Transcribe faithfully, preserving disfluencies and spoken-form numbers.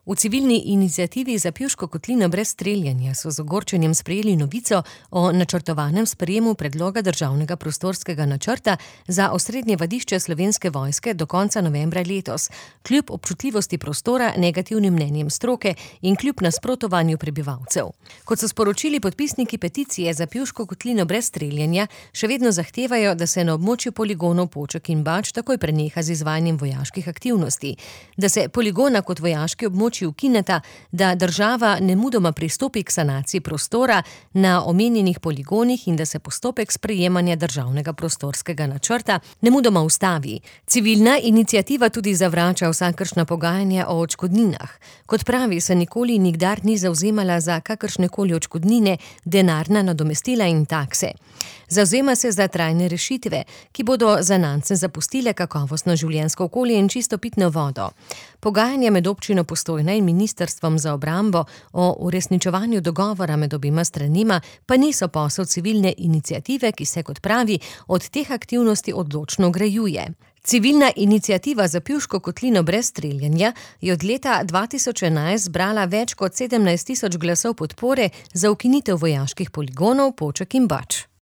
V civilni iniciativi za Pivško kotlino brez streljanja so z ogorčenjem sprejeli novico o načrtovanem sprejemu predloga državnega prostorskega načrta za osrednje vadišče Slovenske vojske do konca novembra letos, kljub občutljivosti prostora, negativnim mnenjem stroke in kljub nasprotovanju prebivalcev. Kot so sporočili podpisniki peticije za Pivško kotlino brez streljanja, še vedno zahtevajo, da se na območju poligonov Poček in Bač takoj preneha z izvajanjem vojaških aktivnosti, da se poligona kot vojaški območji ukineta, da država nemudoma pristopi k sanaciji prostora na omenjenih poligonih in da se postopek sprejemanja državnega prostorskega načrta nemudoma ustavi. Civilna iniciativa tudi zavrača vsakršna pogajanja o odškodninah. Kot pravi, se nikoli in nikdar ni zavzemala za kakršnekoli odškodnine, denarna nadomestila in takse. Zavzema se za trajne rešitve, ki bodo zanamcem zapustile kakovostno življenjsko okolje in čisto pitno vodo. Pogajanja med občino Postojna in ministrstvom za obrambo o uresničevanju dogovora med obima stranima pa niso posel civilne iniciative, ki se, kot pravi, od teh aktivnosti odločno grajuje. Civilna iniciativa za Pivško kotlino brez streljanja je od leta dva tisoč enajst zbrala več kot sedemnajst tisoč glasov podpore za ukinitev vojaških poligonov Poček in Bač.